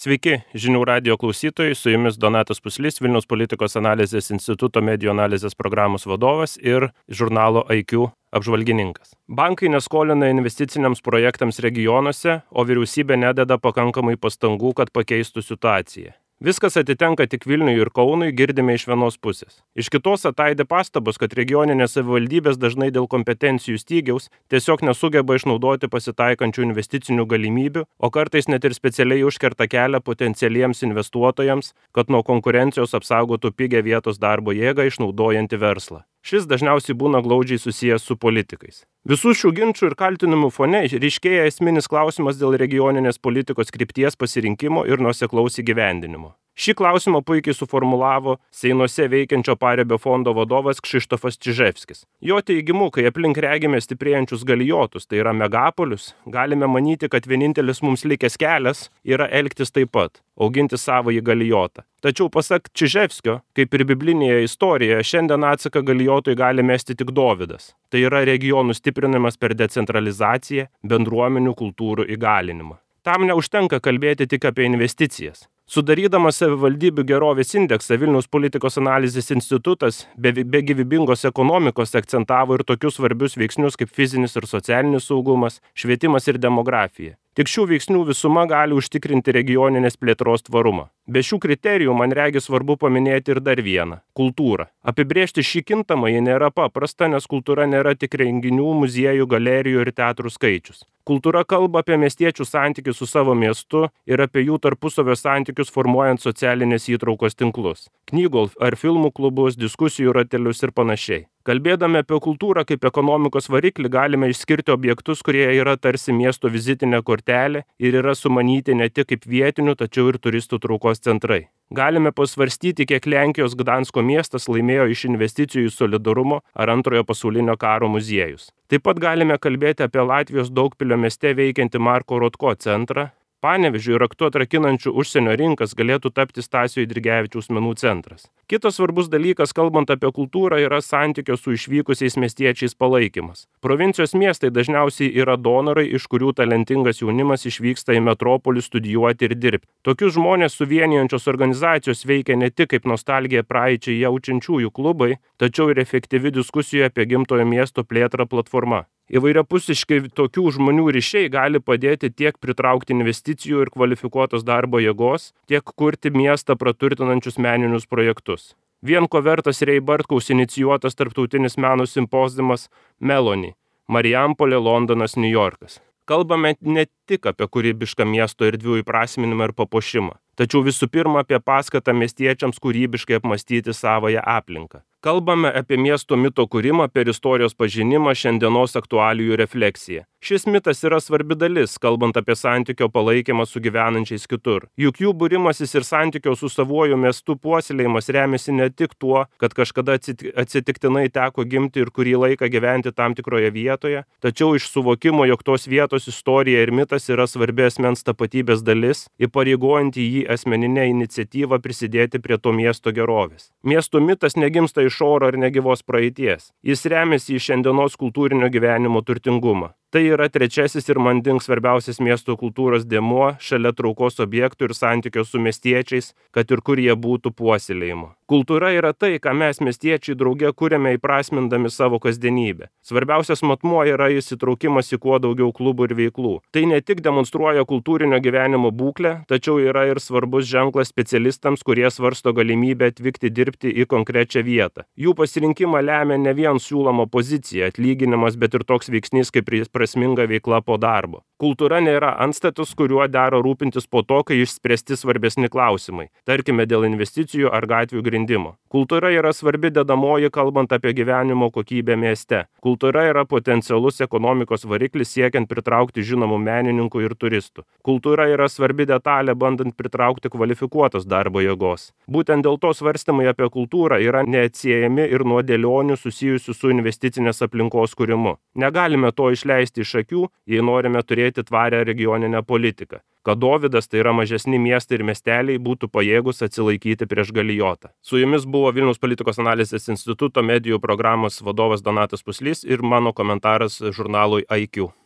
Sveiki, žinių radijo klausytojai, su jumis Donatas Puslys, Vilniaus politikos analizės instituto medijų analizės programos vadovas ir žurnalo IQ apžvalgininkas. Bankai neskolina investiciniams projektams regionuose, o vyriausybė nededa pakankamai pastangų, kad pakeistų situaciją. Viskas atitenka tik Vilniui ir Kaunui, girdime iš vienos pusės. Iš kitos ataidi pastabos, kad regioninės savivaldybės dažnai dėl kompetencijų stygiaus tiesiog nesugeba išnaudoti pasitaikančių investicinių galimybių, o kartais net ir specialiai užkerta kelią potencialiems investuotojams, kad nuo konkurencijos apsaugotų pigią vietos darbo jėgą išnaudojantį verslą. Šis dažniausiai būna glaudžiai susijęs su politikais. Visų šių ginčų ir kaltinimų fone ryškėja esminis klausimas dėl regioninės politikos krypties pasirinkimo ir nuoseklaus įgyvendinimo. Šį klausimą puikiai suformulavo Seinuose veikiančio Paribio fondo vadovas Krzysztofas Czyżewskis. Jo teigimu, kai aplink regime stiprėjančius galijotus, tai yra megapolius, galime manyti, kad vienintelis mums likęs kelias yra elgtis taip pat, auginti savąjį galijotą. Tačiau pasak Czyżewskio, kaip ir biblinėje istorijoje, šiandien atsaką galijotui gali mesti tik Dovydas. Tai yra regionų stiprinimas per decentralizaciją, bendruomenių kultūrų įgalinimą. Tam neužtenka kalbėti tik apie investicijas. Sudarydamas savivaldybių gerovės indeksą, Vilniaus politikos analizės institutas be gyvybingos ekonomikos akcentavo ir tokius svarbius veiksnius kaip fizinis ir socialinis saugumas, švietimas ir demografija. Tik šių veiksnių visuma gali užtikrinti regioninės plėtros tvarumą. Be šių kriterijų man regis svarbu paminėti ir dar vieną – kultūrą. Apibrėžti šį kintamąjį nėra paprasta, nes kultūra nėra tik renginių, muziejų, galerijų ir teatrų skaičius. Kultūra kalba apie miestiečių santykius su savo miestu ir apie jų tarpusavio santykius formuojant socialinės įtraukos tinklus, knygų ar filmų klubus, diskusijų ratelius ir panašiai. Kalbėdami apie kultūrą kaip ekonomikos variklį galime išskirti objektus, kurie yra tarsi miesto vizitinė kortelė ir yra sumanyti ne tik kaip vietinių, tačiau ir turistų traukos centrai. Galime pasvarstyti, kiek Lenkijos Gdansko miestas laimėjo iš investicijų į solidarumo ar Antrojo pasaulinio karo muziejus. Taip pat galime kalbėti apie Latvijos Daugpilio mieste veikiantį Marko Rotko centrą. Panevėžiui raktu atrakinančių užsienio rinkas galėtų tapti Stasio Eidrigevičiaus menų centras. Kitas svarbus dalykas, kalbant apie kultūrą, yra santykio su išvykusiais miestiečiais palaikymas. Provincijos miestai dažniausiai yra donorai, iš kurių talentingas jaunimas išvyksta į metropolį studijuoti ir dirbti. Tokius žmonės suvienijančios organizacijos veikia ne tik kaip nostalgiją praeičiai jaučiančiųjų klubai, tačiau ir efektyvi diskusija apie gimtojo miesto plėtrą platforma. Įvairiapusiškai tokių žmonių ryšiai gali padėti tiek pritraukti investicijų ir kvalifikuotos darbo jėgos, tiek kurti miestą praturtinančius meninius projektus. Vien ko vertas Rei Bartkaus inicijuotas tarptautinis meno simpoziumas Meloni – Marijampolė, Londonas, Niujorkas. Kalbame ne tik apie kūrybišką miesto erdvių įprasminimą ir papuošimą, tačiau visų pirma apie paskatą miestiečiams kūrybiškai apmąstyti savąją aplinką. Kalbame apie miesto mito kūrimą per istorijos pažinimą, šiandienos aktualijų refleksiją. Šis mitas yra svarbi dalis, kalbant apie santykio palaikymą su gyvenančiais kitur. Juk jų būrimasis ir santykio su savuoju miestu puoselėjimas remiasi ne tik tuo, kad kažkada atsitiktinai teko gimti ir kurį laiką gyventi tam tikroje vietoje, tačiau iš suvokimo, jog tos vietos istorija ir mitas yra svarbi asmens tapatybės dalis, įpareigojanti jį asmeninę iniciatyvą prisidėti prie to miesto gerovės. Miesto mitas negimsta iš oro ar negyvos praeities. Jis remiasi į šiandienos kultūrinio gyvenimo turtingumą. Tai yra trečiasis ir manding svarbiausias miesto kultūros dėmuo šalia traukos objektų ir santykio su miestiečiais, kad ir kur jie būtų puoselėjimo. Kultūra yra tai, ką mes miestiečiai drauge kuriame įprasmindami savo kasdienybę. Svarbiausias matmuo yra įsitraukimas į kuo daugiau klubų ir veiklų. Tai ne tik demonstruoja kultūrinio gyvenimo būklę, tačiau yra ir svarbus ženklas specialistams, kurie svarsto galimybę atvykti dirbti į konkrečią vietą. Jų pasirinkimą lemia ne vien siūloma pozicija, atlyginimas, bet ir toks veiksnys kaip prasminga veikla po darbo. Kultūra nėra antstatus, kuriuo dera rūpintis po to, kai išspręsti svarbesni klausimai, tarkime dėl investicijų ar gatvių grindimo. Kultūra yra svarbi dedamoji, kalbant apie gyvenimo kokybę mieste. Kultūra yra potencialus ekonomikos variklis siekiant pritraukti žinomų menininkų ir turistų. Kultūra yra svarbi detalė, bandant pritraukti kvalifikuotos darbo jėgos. Būtent dėl to svarstymai apie kultūrą yra neatsiejami ir nuo dėlionių susijusių su investicinės aplinkos kūrimu. Negalime to išleisti iš akių, jei norime turėti tvarią regioninę politiką, kad Dovydas, tai yra mažesni miestai ir miesteliai, būtų pajėgus atsilaikyti prieš galijotą. Su jumis buvo Vilniaus politikos analizės instituto medijų programos vadovas Donatas Puslys ir mano komentaras žurnalui IQ.